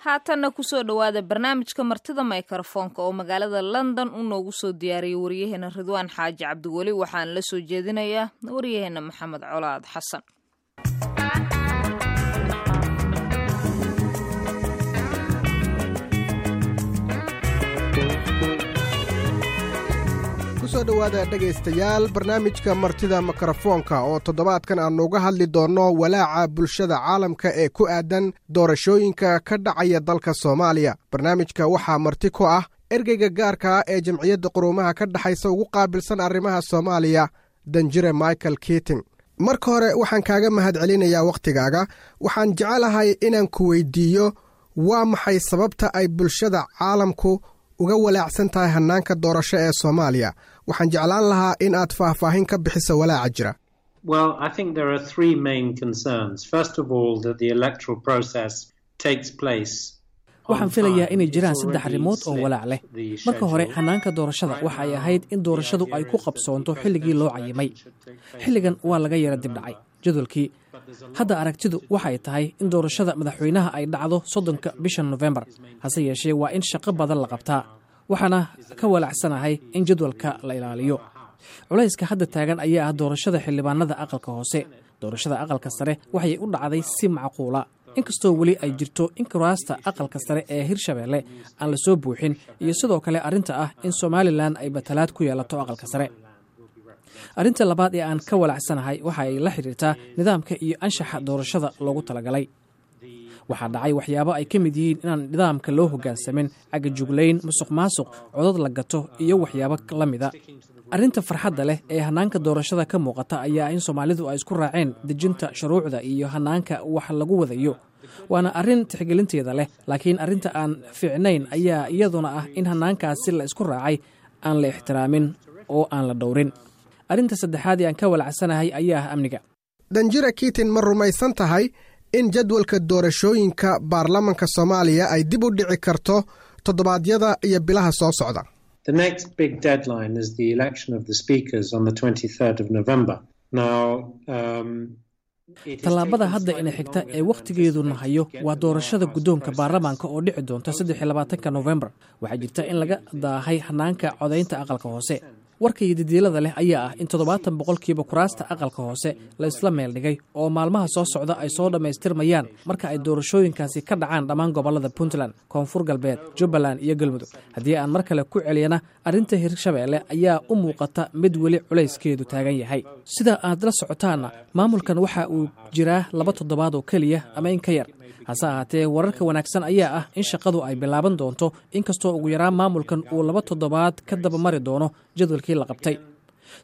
Haatanna kusoo dhowaada barnaamijka Martida Mikrofoonka oo magaalada London uu noogu soo diyaariyey waryaheena Ridwaan Xaaji Cabdiweli. Waxaan la soo jeedinayaa waryaheena Maxamed Colaad Xasan. Kusoo dhowaada, dhegaystayaal, barnaamijka Martida Mikrofoonka oo toddobaadkan aannu uga hadli doonno walaaca bulshada caalamka ee ku aadan doorashooyinka ka dhacaya dalka Soomaaliya. Barnaamijka waxaa marti ku ah ergeyga gaarka ah ee Jamciyadda Quruumaha ka Dhexaysa ugu qaabilsan arrimaha Soomaaliya, danjire Michael Keating. Marka hore waxaan kaaga mahad celinayaa wakhtigaaga. Waxaan jecelahay inaan ku weydiiyo, waa maxay sababta ay bulshada caalamku uga walaacsan tahay hannaanka doorasho ee Soomaaliya? Waxaan jeclaan lahaa in aad faahfaahin ka bixiso walaaca jira. Well, I think there are three main concerns. First of all, that the electoral process takes place. Waxaan filayaa inay jiraan saddex arrimood oo walaac leh. Marka hore, hannaanka doorashada waxa ay ahayd in doorashadu ay ku qabsoonto xilligii loo cayimay. Xilligan waa laga yara dibdhacay jadwalkii. Hadda aragtidu waxay tahay in doorashada madaxweynaha ay dhacdo 30-ka bisha Nofembar. Hase yeeshee, waa in shaqo badan la qabtaa, waxaana ka walaacsanahay in jadwalka la ilaaliyo. Culayska hadda taagan ayaa ah doorashada xildhibaanada aqalka hoose. Doorashada aqalka sare waxay u dhacday si macquula, inkastoo weli ay jirto in kuraasta aqalka sare ee Hirshabeelle aan la soo buuxin, iyo sidoo kale arrinta ah in Somaliland ay matalaad ku yeelato aqalka sare. Arrinta labaad ee aan ka walaacsanahay waxa ay la xidhiirtaa nidaamka iyo anshaxa doorashada loogu talagalay. Waxaa dhacay waxyaabo ay ka mid yihiin inaan nidaamka loo hoggaansamin, cagajuglayn, musuq maasuq, codad la gato iyo waxyaabo la mida. Arrinta farxadda leh ee hannaanka doorashada ka muuqata ayaa in Soomaalidu ay isku raaceen dejinta shuruucda iyo hannaanka wax lagu wadayo, waana arrin tixgelinteeda leh. Laakiin arrinta aan fiicnayn ayaa iyaduna ah in hannaankaasi la isku raacay aan la ixtiraamin oo aan la dhowrin. Arrinta saddexaad ee aan ka walacsanahay ayaa ah amniga. Danjira Keating, ma rumaysan tahay in jadwalka doorashooyinka baarlamanka Soomaaliya ay dib u dhici karto toddobaadyada iyo bilaha soo socda? The next big deadline is the election of the speakers on the 23rd of November. Now, Tallaabada hadda ina xigta ee wakhtigeedu nahayo waa doorashada guddoonka baarlamaanka oo dhici doonta 23-ka Nofembar. Waxaa jirta in laga daahay hannaanka codaynta aqalka hoose. Warka iyo didiilada leh ayaa ah in 70% kuraasta aqalka hoose la isla meel dhigay oo maalmaha soo socda ay soo dhammaystirmayaan marka ay doorashooyinkaasi ka dhacaan dhammaan gobollada Puntland, Koonfur Galbeed, Jubbaland iyo Galmudug. Haddii aan mar kale ku celiyana, arrinta Hirshabeelle ayaa u muuqata mid weli culayskeedu taagan yahay. Sida aad la socotaanna, maamulkan waxa uu jiraa 2 toddobaad oo keliya ama in ka yar. Hase ahaatee, wararka wanaagsan ayaa ah in shaqadu ay bilaaban doonto, inkastoo ugu yaraan maamulkan uu 2 toddobaad ka daba mari doono jadwalkii la qabtay.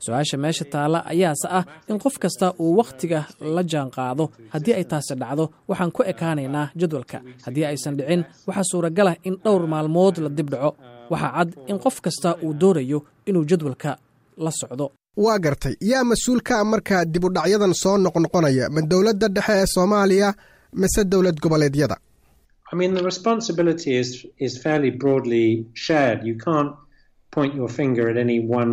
Su-aasha meesha taalla ayaase ah in qof kasta uu wakhtiga la jaan qaado. Haddii ay taasi dhacdo, waxaan ku ekaanaynaa jadwalka. Haddii aysan dhicin, waxaa suuragal ah in dhowr maalmood la dib dhaco. Waxaa cad in qof kasta uu doonayo inuu jadwalka la socdo. Waa gartay. Yaa mas-uul ka ah markaa dib u dhacyadan soo noqnoqonaya? Ma dowladda dhexe ee Soomaaliya mise dowlad goboleedyada? I mean, the responsibility is fairly broadly shared. You can't point your finger at any one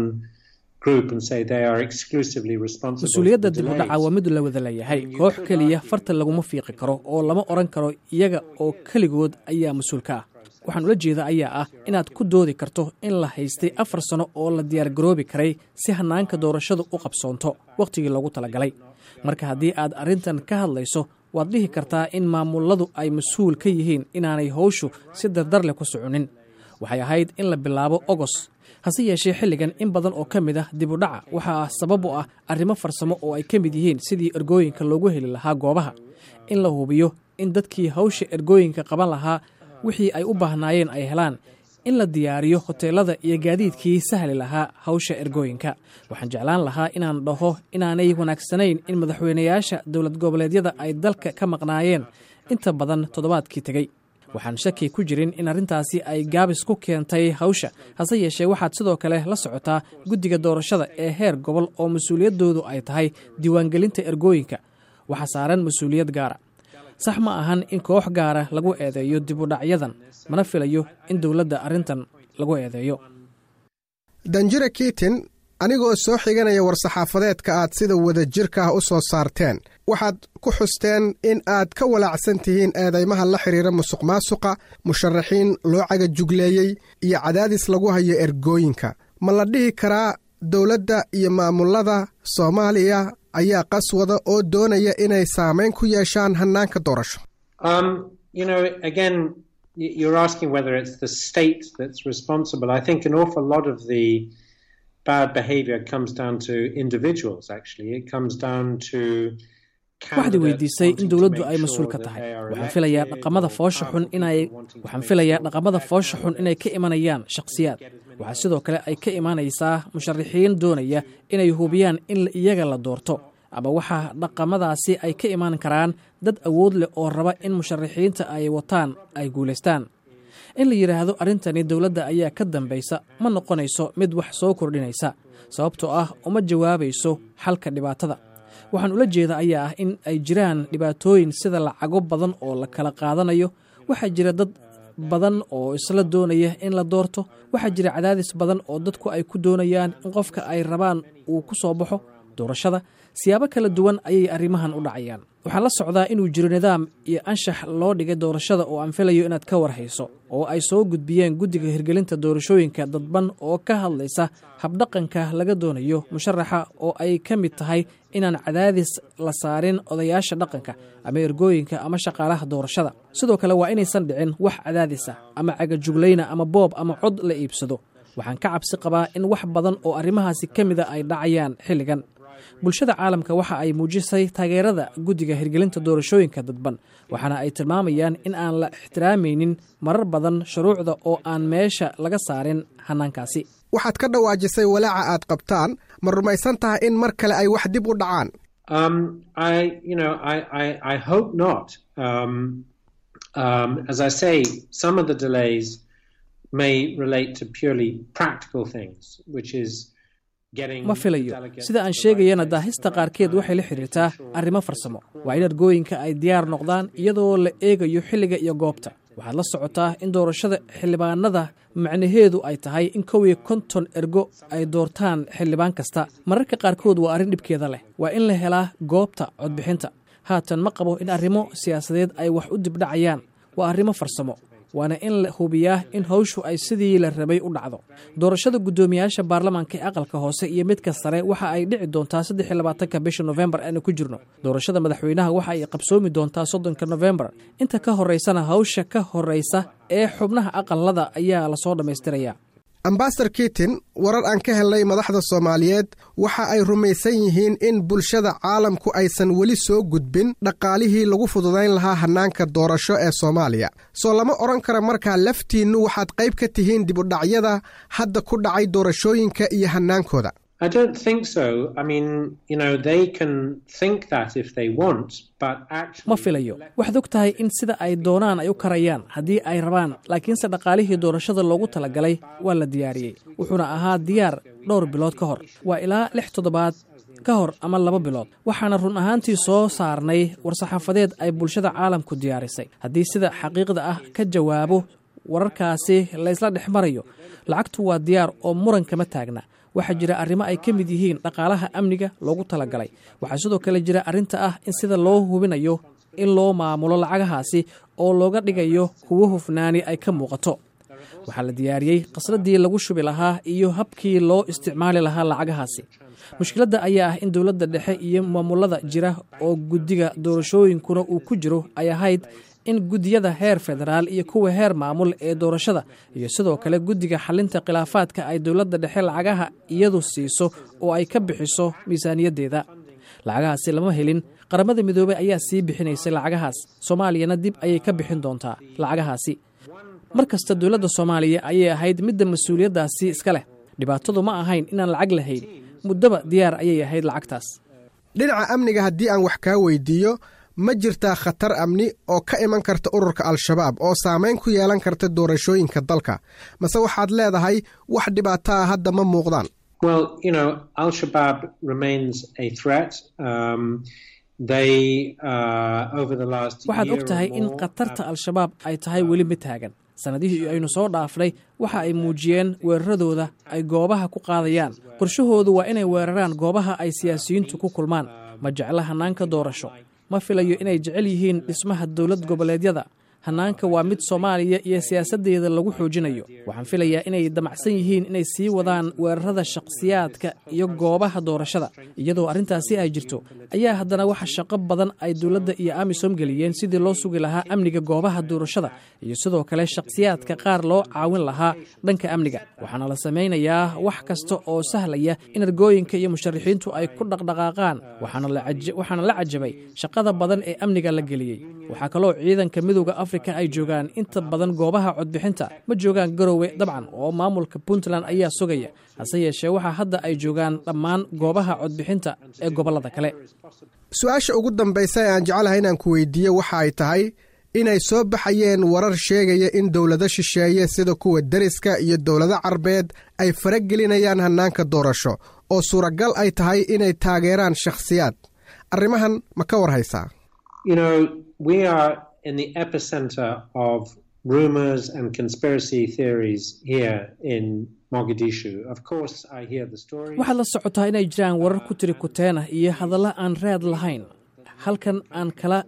group and say they are exclusively responsible. Mas-uuliyadda dib u dhaca waa mid la wada leeyahay. Koox keliya farta laguma fiiqi karo oo lama odhan karo iyaga oo keligood ayaa mas-uul ka ah. Waxaan ula jeeda ayaa ah inaad ku doodi karto in la haystay 4 sano oo la diyaargaroobi karay si hannaanka doorashadu u qabsoonto wakhtigii loogu talagalay. Marka haddii aad arrintan ka hadlayso, waad dhihi kartaa in maamuladu ay mas-uul ka yihiin inaanay howshu si dardar leh ku soconin. Waxay ahayd in la bilaabo Ogos. Hase yeeshee, xilligan in badan oo ka mid ah dib u dhaca waxaa sabab u ah arrimo farsamo oo ay ka mid yihiin sidii ergooyinka loogu heli lahaa goobaha, in la hubiyo in dadkii hawsha ergooyinka qaban lahaa wixii ay u baahnaayeen ay helaan, in la diyaariyo hoteelada iyo gaadiidkii sahli lahaa hawsha ergooyinka. Waxaan jeclaan lahaa inaan dhaho inaanay wanaagsanayn in madaxweynayaasha dowlad goboleedyada ay dalka ka maqnaayeen inta badan toddobaadkii tegey. Waxaan shaki ku jirin in arrintaasi ay gaabis ku keentay hawsha. Hase yeeshee, waxaad sidoo kale la socotaa guddiga doorashada ee heer gobol oo mas-uuliyaddoodu ay tahay diiwaangelinta ergooyinka waxaa saaran mas-uuliyad gaara. Sax ma ahan in koox gaara lagu eedeeyo dib u dhacyadan, mana filayo in dowladda arrintan lagu eedeeyo. Danjira Keating, Anigoo soo xiganaya war-saxaafadeedka aad sida wadajirka ah u soo saarteen, waxaad ku xusteen in aad ka walaacsan tihiin eedeymaha la xidhiira musuq maasuqa, musharaxiin loo cagajugleeyey iyo cadaadis lagu hayo ergooyinka. Ma la dhihi karaa dowladda iyo maamulada Soomaaliya ayaa qaswada oo doonaya inay saamayn ku yeeshaan hannaanka doorasho? Again, you're asking whether it's the state that's responsible. I think an awful lot of the bad behavior comes down to individuals, actually. It comes down to Waxaad weydiisay in dowladdu ay mas-uul ka tahay. Waxaan filayaa dhaqamada foosha xun inay ka imanayaan shakhsiyaad. Waxaa sidoo kale ay ka imanaysaa musharaxiin doonaya inay hubiyaan in iyaga la doorto, ama waxaa dhaqamadaasi ay ka iman karaan dad awood leh oo raba in musharaxiinta ay wataan ay guulaystaan. In la yidhaahdo arrintani dowladda ayaa ka dambaysa ma noqonayso mid wax soo kordhinaysa, sababtoo ah uma jawaabayso xalka dhibaatada. Waxaan ula jeeda ayaa ah in ay jiraan dhibaatooyin sida lacago badan oo la kala qaadanayo. Waxaa jira dad badan oo isla doonaya in la doorto. Waxaa jira cadaadis badan oo dadku ay ku doonayaan in qofka ay rabaan uu ku soo baxo doorashada. Siyaabo kala duwan ayay arrimahan u dhacayaan. Waxaan la socdaa inuu jiro nidaam iyo anshax loo dhigay doorashada oo aan filayo inaad ka warhayso, oo ay soo gudbiyeen guddiga hirgelinta doorashooyinka dadban, oo ka hadlaysa habdhaqanka laga doonayo musharaxa, oo ay ka mid tahay inaan cadaadis la saarin odayaasha dhaqanka ama ergooyinka ama shaqaalaha doorashada. Sidoo kale waa inaysan dhicin wax cadaadis ah ama cagajuglayna ama boob ama cod la iibsado. Waxaan ka cabsi qabaa in wax badan oo arrimahaasi ka mida ay dhacayaan xilligan. Bulshada caalamka waxa ay muujisay taageerada guddiga hirgelinta doorashooyinka dadban, waxaana ay tilmaamayaan in aan la ixtiraamaynin marar badan shuruucda oo aan meesha laga saarin hannaankaasi. Waxaad ka dhawaajisay walaaca aad qabtaan. Ma rumaysan tahay in mar kale ay wax dib u dhacaan? I hope not. As I say, some of the delays may relate to purely practical things, which is Ma filayo. Sida aan sheegayana, daahista qaarkeed waxay la xidhiirtaa arrimo farsamo. Waa in ergooyinka ay diyaar noqdaan iyadoo la eegayo xilliga iyo goobta. Waxaad la socotaa in doorashada xildhibaanada macnaheedu ay tahay in 51 ergo ay doortaan xildhibaan kasta. Mararka qaarkood waa arrin dhibkeeda leh. Waa in la helaa goobta codbixinta. Haatan ma qabo in arrimo siyaasadeed ay wax u dibdhacayaan. Waa arrimo farsamo, waana in la hubiyaa in hawshu ay sidii la rabay u dhacdo. Doorashada guddoomiyaasha baarlamaanka ee aqalka hoose iyo midka sare waxa ay dhici doontaa 23-ka bisha Nofembar aanu ku jirno. Doorashada madaxweynaha waxa ay qabsoomi doontaa 30-ka Nofembar. Inta ka horeysana, hawsha ka horeysa ee xubnaha aqalada ayaa lasoo dhammaystiraya. Ambasador Keating, warar aan ka helnay madaxda Soomaaliyeed waxa ay rumaysan yihiin in bulshada caalamku aysan weli soo gudbin dhaqaalihii lagu fududayn lahaa hannaanka doorasho ee Soomaaliya. Soo lama odhan karo markaa laftiinnu waxaad qayb ka tihiin dib u dhacyada hadda ku dhacay doorashooyinka iyo hannaankooda? I don't think so. I mean, they can think that if they want, but actually. Ma filayo. Waxaad og tahay in sida ay doonaan ay u karayaan haddii ay rabaan, laakiinse dhaqaalihii doorashada loogu talagalay waa la diyaariyey, wuxuuna ahaa diyaar dhowr bilood ka hor. Waa ilaa 6 toddobaad ka hor ama 2 bilood. Waxaana run ahaantii soo saarnay war-saxaafadeed ay bulshada caalamku diyaarisay. Haddii sida xaqiiqda ah ka jawaabo wararkaasi laysla dhex marayo, lacagtu waa diyaar oo muran kama taagna. Waxaa jira arrimo ay ka mid yihiin dhaqaalaha amniga loogu talagalay. Waxaa sidoo kale jira arrinta ah in sida loo hubinayo in loo maamulo lacagahaasi oo looga dhigayo kuwo hufnaani ay ka muuqato. Waxaa la diyaariyey khasnadii lagu shubi lahaa iyo habkii loo isticmaali lahaa lacagahaasi. Mushkiladda ayaa ah in dowladda dhexe iyo maamulada jira oo guddiga doorashooyinkuna uu ku jiro ay ahayd in guddiyada heer federaal iyo kuwa heer maamul ee doorashada iyo sidoo kale guddiga xalinta khilaafaadka ay dowladda dhexe lacagaha iyadu siiso oo ay ka bixiso miisaaniyaddeeda. Lacagahaasi lama helin. Qaramada Midoobey ayaa sii bixinaysay lacagahaas, Soomaaliyana dib ayay ka bixin doontaa lacagahaasi. Mar kasta dowladda Soomaaliya ayay ahayd midda mas-uuliyaddaasi iska leh. Dhibaatadu ma ahayn inaan lacag lahayn. Muddaba diyaar ayay ahayd lacagtaas. Dhinaca amniga haddii aan wax kaa weydiiyo, ma jirtaa khatar amni oo ka iman karta ururka Al-Shabaab oo saamayn ku yeelan karta doorashooyinka dalka, mase waxaad leedahay wax dhibaato ah hadda ma muuqdaan? Well, Al Shabaab remains a threat. They, over the last Waxaad og tahay in khatarta Al-Shabaab ay tahay weli mid taagan. Sannadihii aynu soo dhaafnay waxa ay muujiyeen weeraradooda ay goobaha ku qaadayaan. Qorshahoodu waa inay weeraraan goobaha ay siyaasiyiintu ku kulmaan. Ma jecla hannaanka doorasho. Ma filayo inay jecel yihiin dhismaha dowlad goboleedyada. Hannaanka waa mid Soomaaliya iyo siyaasaddeeda lagu xoojinayo. Waxaan filayaa inay damacsan yihiin inay sii wadaan weerarada shakhsiyaadka iyo goobaha doorashada. Iyadoo arrintaasi ay jirto ayaa haddana waxa shaqo badan ay dowladda iyo AMISOM geliyeen sidii loo sugi lahaa amniga goobaha doorashada iyo sidoo kale shakhsiyaadka qaar loo caawin lahaa dhanka amniga. Waxaana la samaynayaa wax kasta oo sahlaya in ergooyinka iyo musharaxiintu ay ku dhaqdhaqaaqaan. Waxaana la cajabay shaqada badan ee amniga la geliyey. Waxaa kaloo ciidanka Midowda Afrika ay joogaan inta badan goobaha codbixinta. Ma joogaan Garowe dabcan, oo maamulka Puntland ayaa sugaya, hase yeeshee waxaa hadda ay joogaan dhammaan goobaha codbixinta ee gobollada kale. Su-aasha ugu dambaysa ee aan jecelahay inaan ku weydiiyo waxa ay tahay inay soo baxayeen warar sheegaya in dowlado shisheeye sida kuwa deriska iyo dowlado Carbeed ay faragelinayaan hannaanka doorasho, oo suuragal ay tahay inay taageeraan shakhsiyaad. Arrimahan ma ka war haysaa? In the epicenter of rumors and conspiracy theories here in Mogadishu. Of course, I hear the stories. Waxaad la socotaa inay jiraan warar ku tiri kuteena iyo hadallo aan raad lahayn halkan aan kala.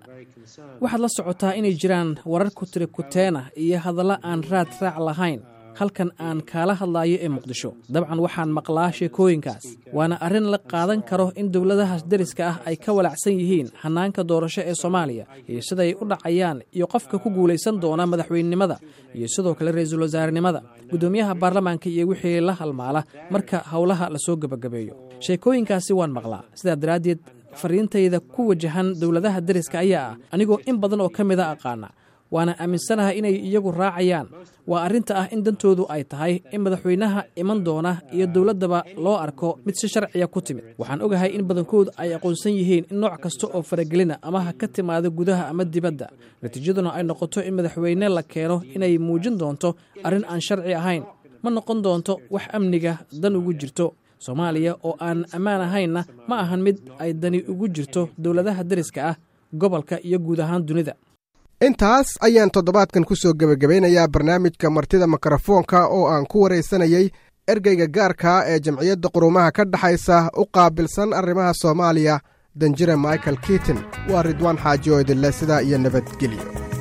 Waxaad la socotaa inay jiraan warar ku tiri kuteena iyo hadallo aan raad raac lahayn halkan aan kaala hadlaayo ee Muqdisho. Dabcan waxaan maqlaa sheekooyinkaas, waana arrin la qaadan karo in dowladahaas deriska ah ay ka walacsan yihiin hannaanka doorasho ee Soomaaliya iyo siday u dhacayaan iyo qofka ku guulaysan doona madaxweynenimada iyo sidoo kale ra-iisul wasaarenimada, guddoomiyaha baarlamaanka iyo wixii la halmaala marka howlaha lasoo gebagabeeyo. Sheekooyinkaasi waan maqlaa. Sidaa daraaddeed fariintayda ku wajahan dowladaha deriska ayaa ah, anigoo in badan oo ka mida aqaana, waana aaminsanahay inay iyagu raacayaan, waa arrinta ah in dantoodu ay tahay in madaxweynaha iman doona iyo dowladdaba loo arko mid si sharciya ku timid. Waxaan ogahay in badankoodu ay aqoonsan yihiin in nooc kasta oo faragelina, ama ha ka timaado gudaha ama dibadda, natiijaduna ay noqoto in madaxweyne la keeno, inay muujin doonto arrin aan sharci ahayn. Ma noqon doonto wax amniga dan ugu jirto. Soomaaliya oo aan ammaan ahaynna ma ahan mid ay dani ugu jirto dowladaha deriska ah, gobolka iyo guud ahaan dunida. Intaas ayaan toddobaadkan ku soo gebagabaynayaa barnaamijka Martida Mikrofoonka oo aan ku waraysanayey ergeyga gaarkaa ee Jamciyadda Quruumaha ka Dhexaysa u qaabilsan arrimaha Soomaaliya, danjire Michael Keating. Waa Ridwaan Xaaji oo idinleh sidaa iyo nabadgelyo.